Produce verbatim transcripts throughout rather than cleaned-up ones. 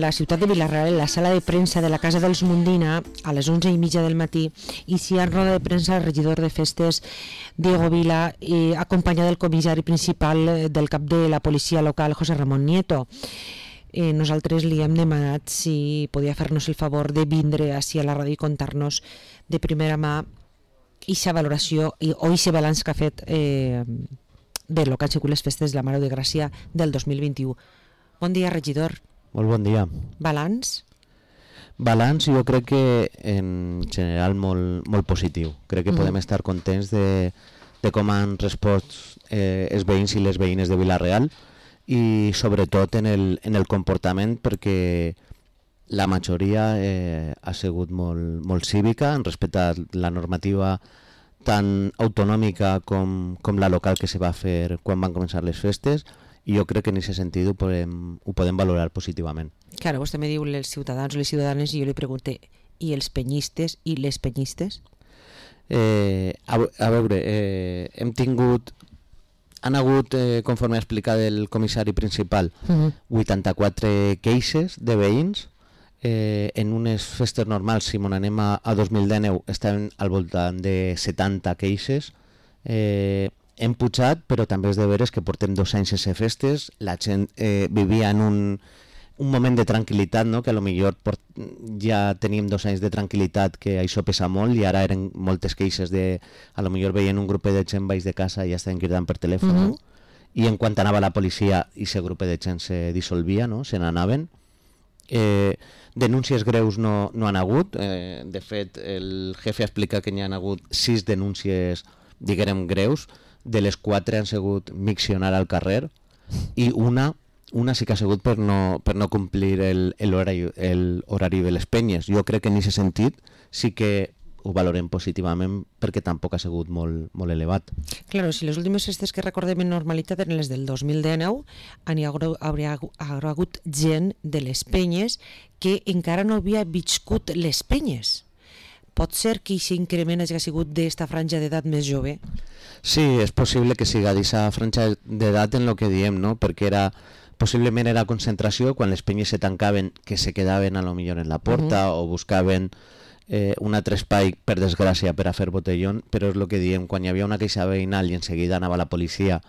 la ciutat de Vila-real, en la sala de premsa de la Casa dels Mundina, a les onze i mitja del matí, i si en roda de premsa el regidor de festes, Diego Vila, eh, acompanyat del comissari principal del cap de la policia local, José Ramón Nieto. Eh, nosaltres li hem demanat si podia fer-nos el favor de vindre així a la ràdio i contar-nos de primera mà aquesta valoració i, o aquest balanç que ha fet eh, de lo que han sigut les festes de la Mare de Gràcia del dos mil vint-i-u. Bon dia, regidor. Molt bon dia. Balanç? Balanç jo crec que en general molt, molt positiu. Crec que mm. podem estar contents de, de com han respost eh, els veïns i les veïnes de Vila-real i sobretot en el, en el comportament, perquè la majoria eh, ha sigut molt, molt cívica, han respectat la normativa tan autonòmica com, com la local que se va fer quan van començar les festes, i jo crec que en aquest sentit ho podem, ho podem valorar positivament. Claro, vostè me diu els ciutadans o les ciutadanes i jo li pregunté, i els penyistes i les penyistes? Eh, a, a veure, eh, hem tingut, han hagut, eh, conforme ha explicat el comissari principal, uh-huh. vuitanta-quatre queixes de veïns. Eh, en unes festes normals, si m'on anem a, a dos mil dinou, estaven al voltant de setanta queixes. Eh, hem pujat, però també és de veres que portem dos anys sense festes, la gent eh, vivia en un, un moment de tranquil·litat, no? Que a lo millor port, ja teníem dos anys de tranquil·litat, que això pesa molt, i ara eren moltes queixes de, a lo millor veien un grup de gent baix de casa i ja estaven cridant per telèfon, uh-huh. no? I en quan anava la policia, aquest grup de gent se dissolvia, no? Se n'anaven. Eh, denúncies greus no, no han hagut, eh, de fet el jefe explica que n'hi han hagut sis denúncies, diguem, greus, de les quatre han sigut miccionar al carrer, i una una sí que ha sigut per no, per no complir el, el, horari, el horari de les penyes. Jo crec que en aquest sentit sí que ho valorem positivament, perquè tampoc ha sigut molt, molt elevat. Claro, si les últimes festes que recordem en normalitat eren les del dos mil dinou, hi hauria hagut gent de les penyes que encara no havia viscut les penyes. Pot ser que aquest increment hagi sigut d'esta franja d'edat més jove? Sí, és possible que siga d'aquesta franja d'edat en el que diem, no? Perquè era, possiblement era concentració, quan les penyes se tancaven, que se quedaven a lo millor en la porta, uh-huh. o buscaven eh, un altre espai, per desgràcia, per a fer botellón, però és el que diem, quan hi havia una queixa veïnal i en seguida anava la policia,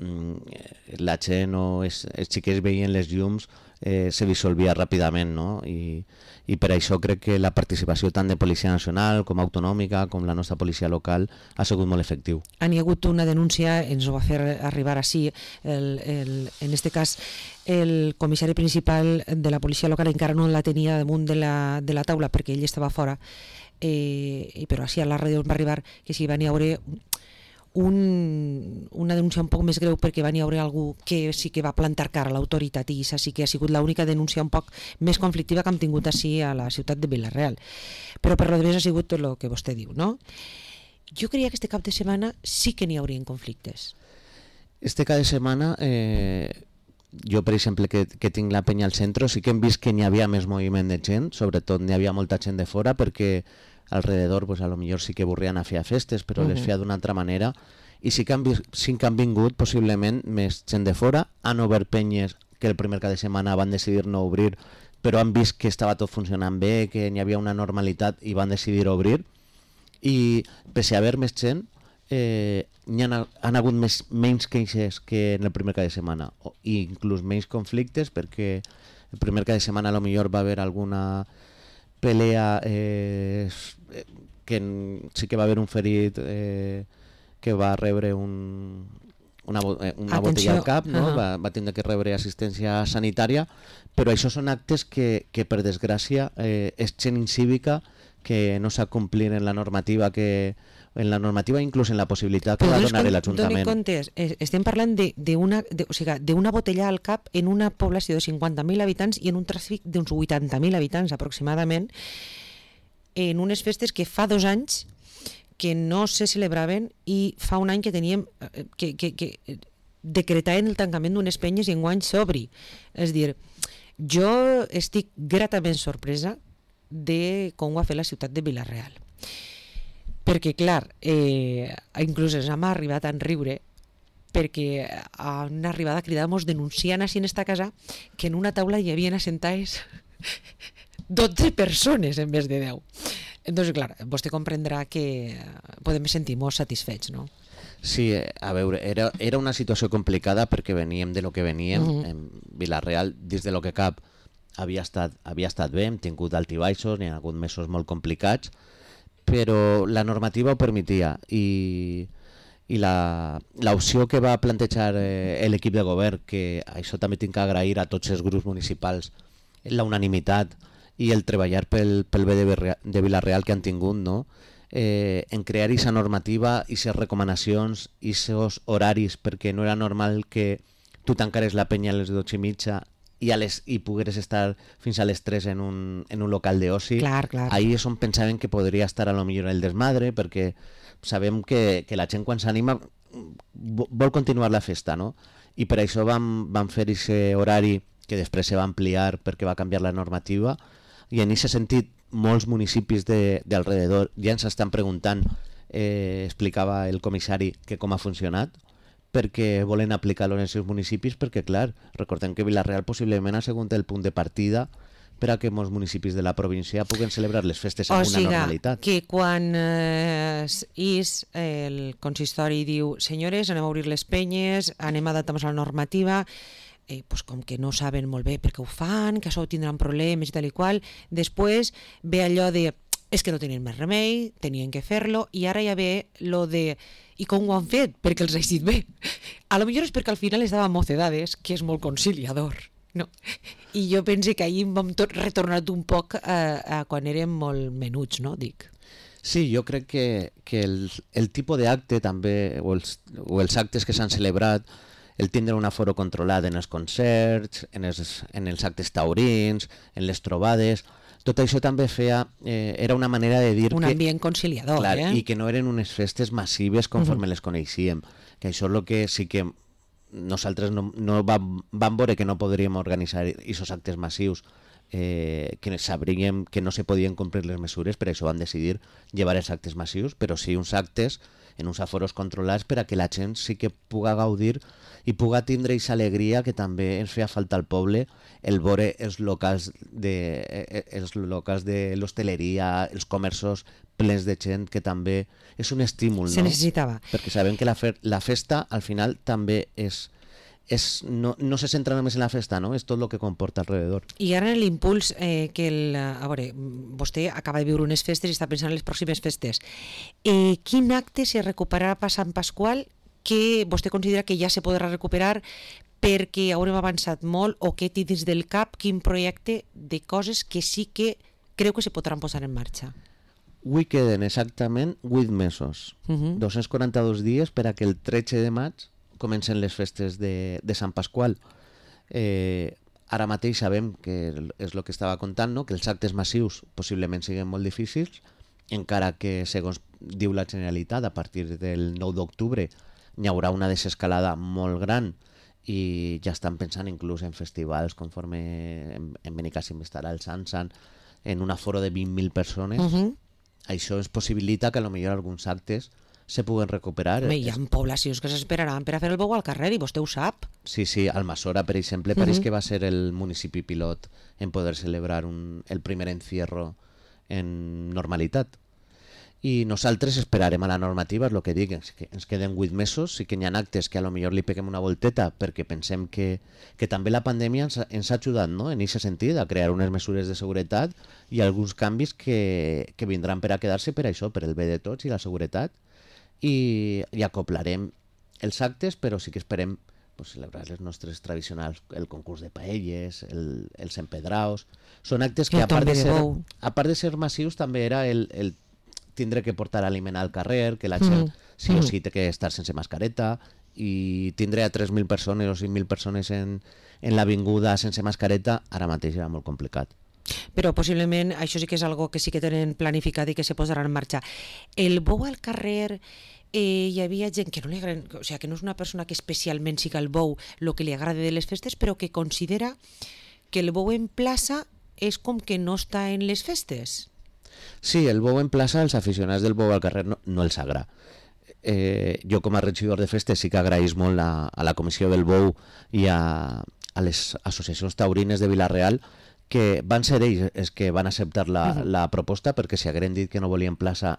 mmm, la gent o els, els xiquets veien les llums, eh, se dissolvia ràpidament, no? I, i per això crec que la participació tant de Policia Nacional com autonòmica com la nostra policia local ha sigut molt efectiu. Han hi hagut una denúncia, ens ho va fer arribar així, el, el, en este cas el comissari principal de la policia local encara no la tenia damunt de la, de la taula perquè ell estava fora, eh, però així a la ràdio va arribar que si van hi haure Un, una denúncia un poc més greu perquè va n'hi haver algú que sí que va plantar cara a l'autoritat, i això sí que ha sigut l'única denúncia un poc més conflictiva que hem tingut així a la ciutat de Vila-real. Però per lo demés ha sigut tot el que vostè diu, no? Jo creia que este cap de setmana sí que n'hi haurien conflictes. Este cap de setmana, eh, jo per exemple que, que tinc la penya al centre, sí que hem vist que n'hi havia més moviment de gent, sobretot n'hi havia molta gent de fora, perquè alrededor pues, a lo millor sí que vorrien a fer festes, però uh-huh. les feia d'una altra manera, i sí que, han, sí que han vingut possiblement més gent de fora, han obert penyes que el primer cap de setmana van decidir no obrir, però han vist que estava tot funcionant bé, que n'hi havia una normalitat i van decidir obrir, i pese a haver més gent, eh, n'hi han, han hagut més, menys queixes que en el primer cap de setmana, i inclús menys conflictes, perquè el primer cap de setmana a lo millor va haver alguna pelea, eh, que sí que va haver un ferit eh, que va rebre un, una, una botella al cap, no? uh-huh. va, va tindre que rebre assistència sanitària, però això són actes que, que per desgràcia eh, és gent incívica que no s'ha complit en la normativa que en la normativa inclús en la possibilitat que va donar l'Ajuntament. Doni comptes, estem parlant d'una o sigui, botella al cap en una població de cinquanta mil habitants i en un tràfic d'uns vuitanta mil habitants aproximadament, en unes festes que fa dos anys que no se celebraven i fa un any que teníem que, que, que decretaven el tancament d'unes penyes i enguany s'obri. És dir, jo estic gratament sorpresa de com ho ha fet la ciutat de Vila-real. Perquè, clar, eh, inclús ens hem arribat a enriure perquè han arribat a cridar-nos denunciant així en esta casa que en una taula hi havia assentades dotze persones en vez de deu. Entonces, clar, vostè comprendrà que podem sentir molt satisfets, no? Sí, a veure, era, era una situació complicada perquè veníem de lo que veníem. Uh-huh. En Vila-real, dins de lo que cap, havia estat, havia estat bé, hem tingut altibaixos, n'hi ha hagut mesos molt complicats, però la normativa ho permetia i, i l'opció que va plantejar eh, l'equip de govern, que això també tinc que agrair a tots els grups municipals, la unanimitat i el treballar pel, pel bé de, de Vila-real que han tingut, no? Eh, en crear aquesta normativa, aquestes recomanacions, aquests horaris, perquè no era normal que tu tancares la penya a les dotze i mitja i, a les, i pogueres estar fins a les tres en un, en un local d'oci. Clar, clar. Ahí és on pensaven que podria estar a lo millor el desmadre, perquè sabem que, que la gent quan s'anima vol continuar la festa, no? I per això vam, vam fer aquest horari que després se va ampliar perquè va canviar la normativa, i en aquest sentit molts municipis de, de alrededor ja ens estan preguntant, eh, explicava el comissari, que com ha funcionat, perquè volen aplicar-lo en els seus municipis, perquè clar, recordem que Vila-real possiblement ha sigut el punt de partida per a que molts municipis de la província puguen celebrar les festes amb o una siga, normalitat. Que quan eh, is el consistori diu senyores, anem a obrir les penyes, anem a adaptar-nos a la normativa, Eh, pues com que no saben molt bé per què ho fan, que això tindran problemes i tal i qual, després ve allò de és que no tenien més remei, tenien que fer-lo, i ara ja ve lo de i com ho han fet? Perquè els ha eixit bé. A lo millor és perquè al final es dava mocedades, que és molt conciliador, no? I jo pense que ahir vam tot retornat un poc a, a quan érem molt menuts, no? Dic. Sí, jo crec que, que el, el tipus d'acte també, o els, o els actes que s'han celebrat, el tindre un aforo controlat en els concerts, en els, en els actes taurins, en les trobades, tot això també feia, eh, era una manera de dir un que... Un ambient conciliador, clar, eh? I que no eren unes festes massives conforme uh-huh. les coneixíem, que això és el que sí que nosaltres no, no vam, vam veure que no podríem organitzar aquests actes massius, eh, que sabríem que no se podien complir les mesures, per això van decidir llevar els actes massius, però sí uns actes en uns aforos controlats per a que la gent sí que puga gaudir i puga tindre aquesta alegria que també ens feia falta al poble, el veure els locals de, els locals de l'hostaleria, els comerços plens de gent, que també és un estímul, se no? necessitava. Perquè sabem que la, fe, la festa al final també és, és no, no se centra només en la festa, no? És tot el que comporta alrededor. I ara en l'impuls eh, que el, a veure, vostè acaba de viure unes festes i està pensant en les pròximes festes. Eh, quin acte se recuperarà per Sant Pasqual que vostè considera que ja se podrà recuperar perquè haurem avançat molt, o que té dins del cap quin projecte de coses que sí que creu que se podran posar en marxa? Avui queden exactament vuit mesos, uh-huh. dos-cents quaranta-dos dies per a que el tretze de maig comencen les festes de, de Sant Pasqual. Eh, ara mateix sabem que és el que estava contant, no? Que els actes massius possiblement siguin molt difícils, encara que, segons diu la Generalitat, a partir del nou d'octubre hi haurà una desescalada molt gran i ja estan pensant inclús en festivals conforme en, en Benicàssim estarà el Sansan, en un aforo de vint mil persones. Uh-huh. Això es possibilita que potser alguns actes se puguen recuperar. Home, hi ha poblacions que s'esperaran per a fer el bou al carrer i vostè ho sap. Sí, sí, Almassora, per exemple, uh-huh. pareix que va ser el municipi pilot en poder celebrar un, el primer encierro en normalitat. I nosaltres esperarem a la normativa, és el que dic, que ens queden vuit mesos, sí que hi ha actes que a lo millor li peguem una volteta perquè pensem que, que també la pandèmia ens, ens ha ajudat, no? En aquest sentit, a crear unes mesures de seguretat i alguns canvis que, que vindran per a quedar-se per això, per el bé de tots i la seguretat, i, i acoplarem els actes, però sí que esperem pues, celebrar les nostres tradicionals, el concurs de paelles, el, els empedraos. Són actes que, a part de ser, a part de ser massius, també era el, el tindre que portar aliment al carrer, que la gent mm. sí o sí té que estar sense mascareta, i tindre a tres mil persones o cinc mil persones en, en l'avinguda sense mascareta, ara mateix era molt complicat. Però possiblement això sí que és algo que sí que tenen planificat i que se posarà en marxa. El bou al carrer, eh, hi havia gent que no li agrada, o sigui, que no és una persona que especialment siga el bou el que li agrada de les festes, però que considera que el bou en plaça és com que no està en les festes. Sí, el bou en plaça, els aficionats del bou al carrer no, no els agrada. Eh, jo com a regidor de festes sí que agraïs molt a, a la Comissió del Bou i a, a les associacions taurines de Vila-real que van ser ells els que van acceptar la, uh-huh. la proposta, perquè si hagueren dit que no volien plaça...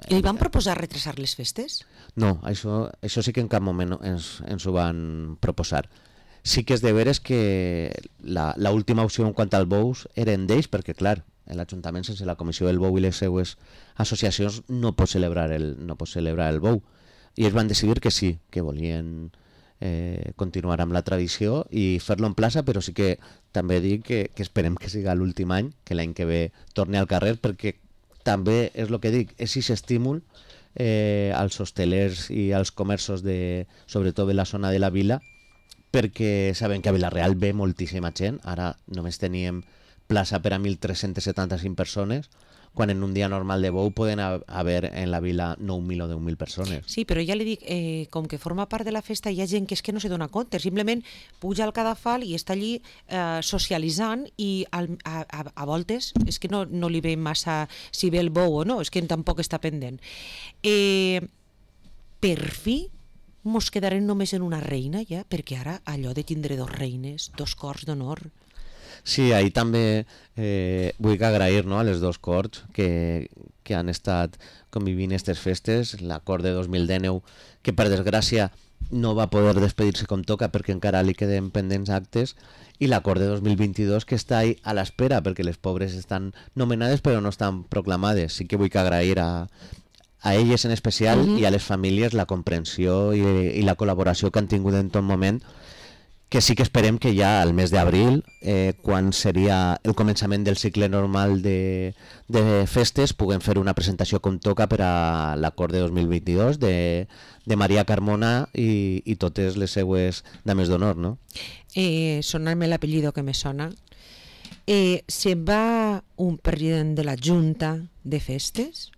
I van proposar retrasar les festes? No, això, això sí que en cap moment ens, ens ho van proposar. Sí que és de veres que l'última opció en quant al bous eren d'ells, perquè clar, l'Ajuntament sense la Comissió del Bou i les seues associacions no pot celebrar el, no pot celebrar el bou. I ells van decidir que sí, que volien eh, continuar amb la tradició i fer-lo en plaça, però sí que també dic que, que esperem que siga l'últim any, que l'any que ve torni al carrer, perquè també és el que dic, és aquest estímul eh, als hostelers i als comerços, de, sobretot de la zona de la vila, perquè saben que a Vila-real ve moltíssima gent. Ara només teníem plaça per a mil tres-cents setanta-cinc persones, quan en un dia normal de bou poden haver en la vila nou mil o deu mil persones. Sí, però ja li dic, eh, com que forma part de la festa hi ha gent que és que no se dona compte, simplement puja al cadafal i està allí eh, socialitzant i al, a, a, a voltes és que no, no li ve massa si ve el bou o no, és que tampoc està pendent. Eh, per fi mos quedarem només en una reina ja, perquè ara allò de tindre dos reines, dos cors d'honor... Sí, ahí també eh, vull agrair, no, a les dos corts que, que han estat convivint aquestes festes, la cort de dos mil dinou, que per desgràcia no va poder despedir-se com toca perquè encara li queden pendents actes, i la cort de dos mil vint-i-dos que està ahí a l'espera perquè les pobres estan nomenades però no estan proclamades. Sí que vull agrair a, a elles en especial uh-huh. i a les famílies la comprensió i, i la col·laboració que han tingut en tot moment, que sí que esperem que ja al mes d'abril, eh, quan seria el començament del cicle normal de, de festes, puguem fer una presentació com toca per a la cort de dos mil vint-i-dos de, de Maria Carmona i, i totes les seues dames d'honor, no? Eh, sonarme l'apellido que me sona. Eh, se'n va un president de la Junta de Festes,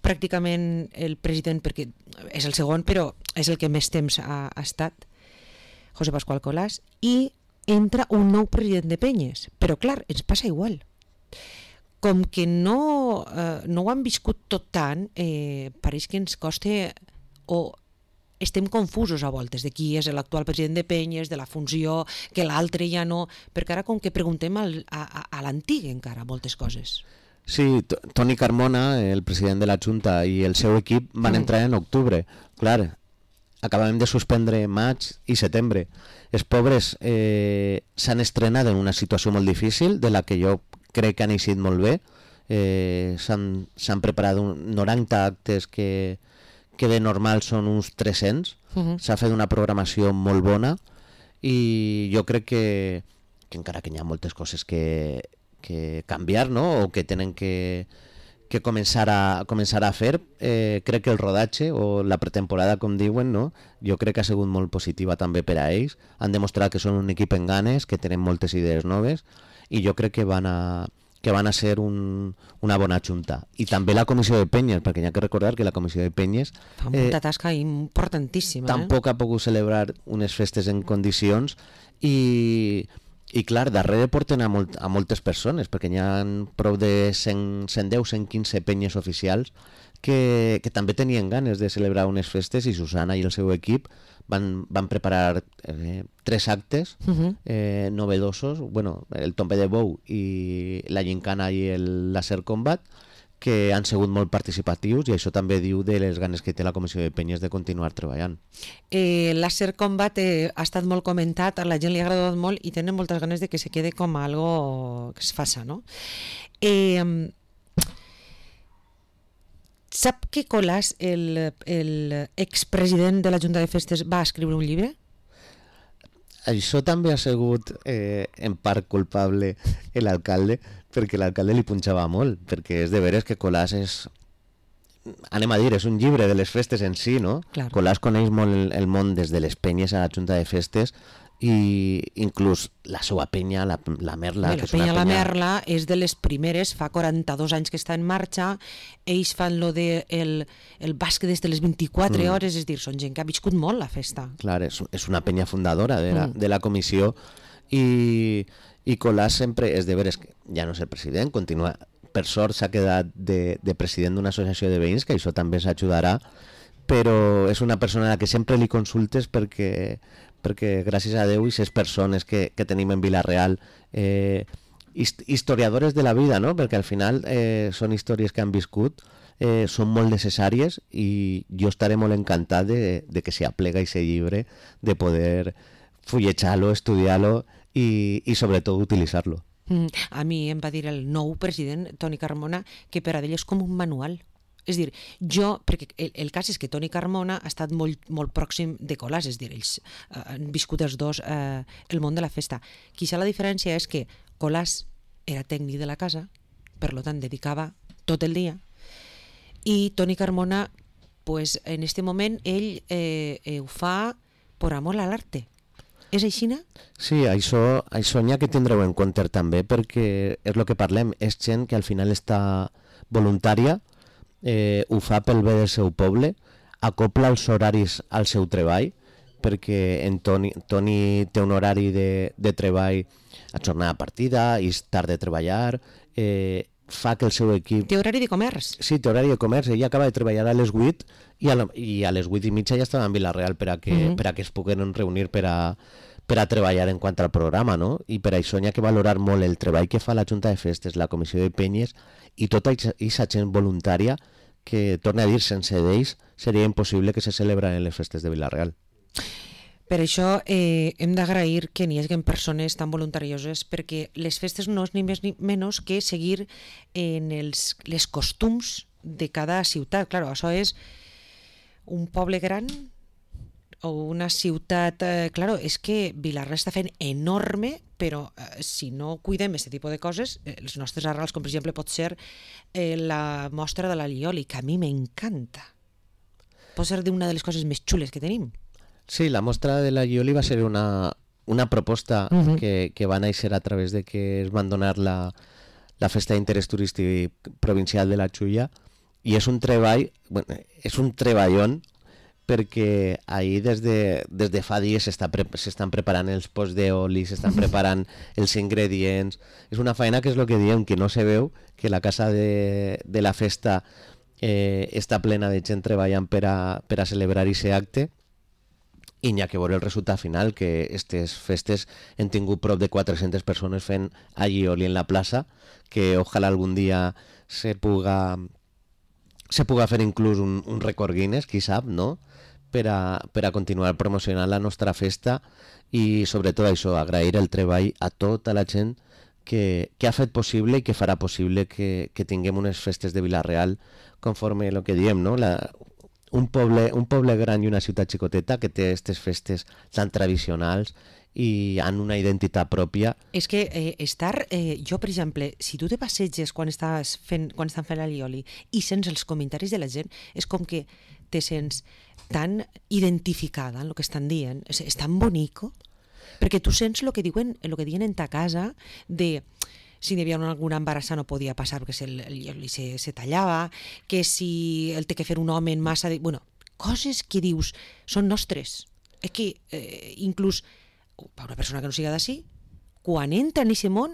pràcticament el president, perquè és el segon, però és el que més temps ha, ha estat, José Pascual Colàs, i entra un nou president de Penyes. Però clar, ens passa igual. Com que no, eh, no ho han viscut tot tant, eh, pareix que ens costa o estem confusos a voltes de qui és l'actual president de Penyes, de la funció, que l'altre ja no... Perquè ara com que preguntem al, a, a, a l'antic encara moltes coses. Sí, Toni Carmona, el president de la Junta, i el seu equip van mm. entrar en octubre. Clar, acabem de suspendre maig i setembre. Els pobres eh, s'han estrenat en una situació molt difícil, de la que jo crec que han eixit molt bé. Eh, s'han preparat un noranta actes que, que de normal són uns tres-cents. Uh-huh. S'ha fet una programació molt bona i jo crec que, que encara que hi ha moltes coses que, que canviar, no? O que tenen que... que començar a, començar a fer, eh, crec que el rodatge o la pretemporada, com diuen, no? Jo crec que ha sigut molt positiva també per a ells. Han demostrat que són un equip en ganes, que tenen moltes idees noves i jo crec que van a, que van a ser un, una bona junta. I també la comissió de Penyes, perquè hi ha que recordar que la comissió de Penyes fa molta eh, tasca importantíssima. Tampoc eh? ha pogut celebrar unes festes en condicions i... I clar, darrere porten a, molt, a moltes persones, perquè hi ha prou de cent, cent deu, cent quinze penyes oficials que, que també tenien ganes de celebrar unes festes, i Susana i el seu equip van, van preparar eh, tres actes uh-huh. eh, novedosos, bueno, el tombe de bou i la gincana i el laser combat, que han sigut molt participatius, i això també diu de les ganes que té la Comissió de Penyes de continuar treballant. Eh, Láser Combat eh, ha estat molt comentat, a la gent li ha agradat molt i tenen moltes ganes de que se quede com algo que es faça, no? Eh, sap que Colàs, el, el expresident de la Junta de Festes, va escriure un llibre? Això també ha sigut eh, en part culpable l'alcalde, perquè l'alcalde li punxava molt, perquè és de veres que Colàs és, anem a dir, és un llibre de les festes en si, no? Claro. Colàs coneix molt el, el món des de les penyes a la Junta de Festes, i inclús la seva penya, la, la Merla... Bé, la penya La Merla és de les primeres, fa quaranta-dos anys que està en marxa, ells fan lo de el, el bàsquet des de les vint-i-quatre mm. hores, és dir, són gent que ha viscut molt la festa. Clar, és, és una penya fundadora de la, mm. de la comissió, i, i Colàs sempre és de veres que ja no és el president, continua, per sort s'ha quedat de, de president d'una associació de veïns, que això també s'ajudarà, però és una persona a la que sempre li consultes perquè... perquè gràcies a Déu i ses persones que, que tenim en Vila-real eh, hist historiadores de la vida, no? Perquè al final eh, són històries que han viscut, eh, són molt necessàries i jo estaré molt encantat de, de que s'aplega i se llibre, de poder fullejar-lo, estudiar-lo i, i sobretot utilitzar-lo. Mm, a mi em va dir el nou president, Toni Carmona, que per a ell és com un manual. És dir, jo, perquè el, el cas és que Toni Carmona ha estat molt, molt pròxim de Colàs, és dir, ells eh, han viscut els dos eh, el món de la festa. Quizá la diferència és que Colàs era tècnic de la casa, per tant dedicava tot el dia, i Toni Carmona, pues, en este moment, ell eh, eh, ho fa per amor a l'arte. És així, no? Sí, això, això n'hi ha que tindreu en compte també, perquè és el que parlem, és gent que al final està voluntària, eh, ho fa pel bé del seu poble, acopla els horaris al seu treball, perquè en Toni, Toni té un horari de, de treball a jornada partida, i és tard de treballar, eh, fa que el seu equip... Té horari de comerç. Sí, té horari de comerç. Ella acaba de treballar a les vuit i a, la, i a les vuit i mitja ja estava en Vila-real per a que, uh -huh. per a que es puguen reunir per a, per a treballar en quant al programa, no? I per això n'hi ha que valorar molt el treball que fa la Junta de Festes, la Comissió de Penyes i tota aquesta gent voluntària que, torna a dir, sense d'ells seria impossible que se celebraran les festes de Vila-real. Per això eh, hem d'agrair que n'hi hagi persones tan voluntarioses, perquè les festes no és ni més ni menys que seguir en els les costums de cada ciutat. Claro, això és un poble gran o una ciutat... Eh, claro, és que Vila-real està fent enorme, però eh, si no cuidem aquest tipus de coses, eh, els nostres arrels, com per exemple pot ser eh, la mostra de l'Alioli, que a mi m'encanta. Pot ser d'una de les coses més xules que tenim. Sí, la mostra de la Ioli va ser una, una proposta uh-huh. que, que va néixer a través de que es van donar la, la festa d'interès turístic provincial de la Xulla, i és un treball, bueno, és un treballón, perquè ahir des de, des de fa dies s'estan pre, preparant els pots d'oli, s'estan preparant els ingredients. És una feina que és el que diem, que no se veu, que la casa de, de la festa eh, està plena de gent treballant per a, per a celebrar aquest acte, i n'hi ha que veure el resultat final, que aquestes festes han tingut prop de quatre-centes persones fent allioli en la plaça, que ojalà algun dia se puga, se puga fer inclús un, un record Guinness, qui sap, no? Per a, per a continuar promocionant la nostra festa, i sobretot això, agrair el treball a tota la gent que, que ha fet possible i que farà possible que, que tinguem unes festes de Vila-real conforme el que diem, no? La, un poble, un poble gran i una ciutat xicoteta que té aquestes festes tan tradicionals i han una identitat pròpia. És que eh, estar, eh, jo per exemple, si tu te passeges quan, estàs fent, quan estan fent l'allioli i sents els comentaris de la gent, és com que te sents tan identificada en el que estan dient, és, és tan bonico, perquè tu sents el que diuen, el que diuen en ta casa de... si hi havia alguna embarassada no podia passar perquè el, el, se, se tallava, que si el té que fer un home en massa... De... Bueno, coses que dius són nostres. És que eh, inclús per una persona que no siga d'ací, quan entra en aquest món,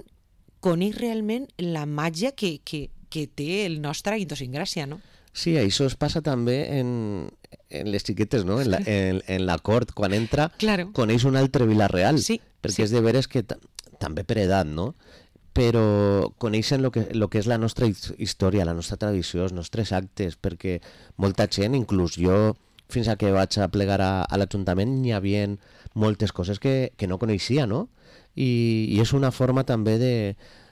coneix realment la màgia que, que, que té el nostre idiosincràsia, no? Sí, això es passa també en, en les xiquetes, no? En la, en, en la cort, quan entra, claro. Coneix un altre Vila-real, sí, perquè sí. És de veres que també per edat, no? Però coneixen el que, lo que és la nostra història, la nostra tradició, els nostres actes, perquè molta gent, inclús jo, fins a que vaig a plegar a, a l'Ajuntament, hi havia moltes coses que, que no coneixia, no? I, i és una forma també de,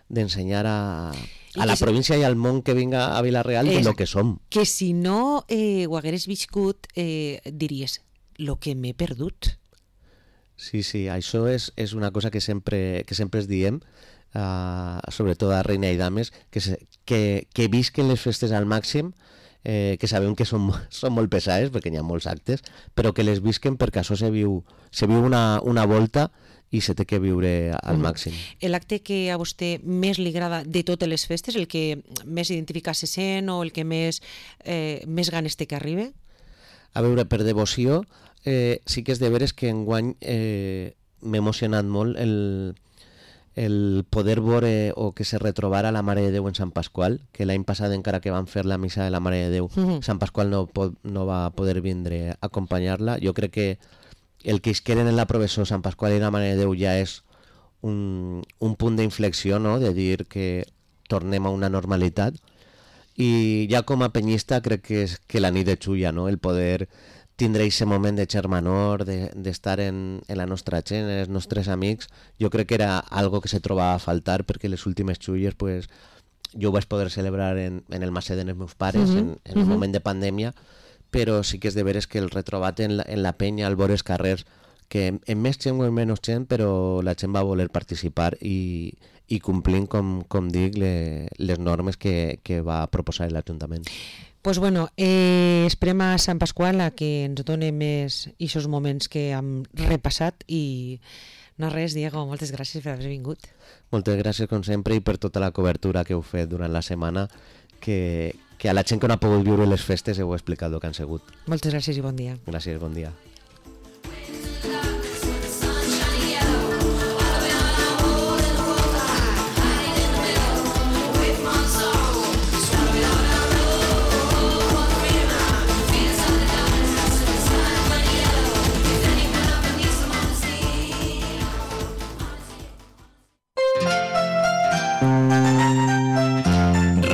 d'ensenyar a, a la província i al món que vinga a Vila-real de lo que som. Que si no eh, ho hagueres viscut, eh, diries, lo que m'he perdut. Sí, sí, això és, és una cosa que sempre, que sempre es diem, Uh, sobretot a Reina i Dames, que, se, que, que visquen les festes al màxim, eh, que sabem que són, són molt pesades perquè hi ha molts actes, però que les visquen perquè això se viu, se viu una, una volta i se té que viure al mm. màxim. L'acte que a vostè més li agrada de totes les festes, el que més identifica se sent o el que més, eh, més ganes té que arribi? A veure, per devoció, eh, sí que és de veres que enguany eh, m'ha emocionat molt el el poder veure o que se retrobara la Mare de Déu en Sant Pasqual, que l'any passat encara que van fer la missa de la Mare de Déu, mm-hmm. Sant Pasqual no, po no va poder vindre a acompanyar-la. Jo crec que el que es queden en la professó Sant Pasqual i la Mare de Déu ja és un, un punt d'inflexió, no?, de dir que tornem a una normalitat. I ja com a penyista crec que és que la nit de Xulla, no?, el poder tindre aquest moment de germanor, d'estar de, en, en la nostra gent, els nostres amics, jo crec que era algo que se trobava a faltar, perquè les últimes Xulles pues, jo ho vaig poder celebrar en, en el Maset dels meus pares, uh -huh, en, en uh -huh. un moment de pandèmia, però sí que és de veres que el retrobat en la, en la penya, al vora els carrers, que en, en més gent o en menys gent, però la gent va voler participar i, i complint, com, com dic, le, les normes que, que va proposar l'Ajuntament. Pues bueno, eh, esperem a Sant Pasqual a que ens doni més aquests moments que hem repassat i no res, Diego, moltes gràcies per haver vingut. Moltes gràcies com sempre i per tota la cobertura que heu fet durant la setmana, que, que a la gent que no ha pogut viure les festes heu explicat el que han sigut. Moltes gràcies i bon dia. Gràcies, bon dia.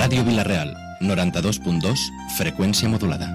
Ràdio Vila-real, noranta-dos punt dos, freqüència modulada.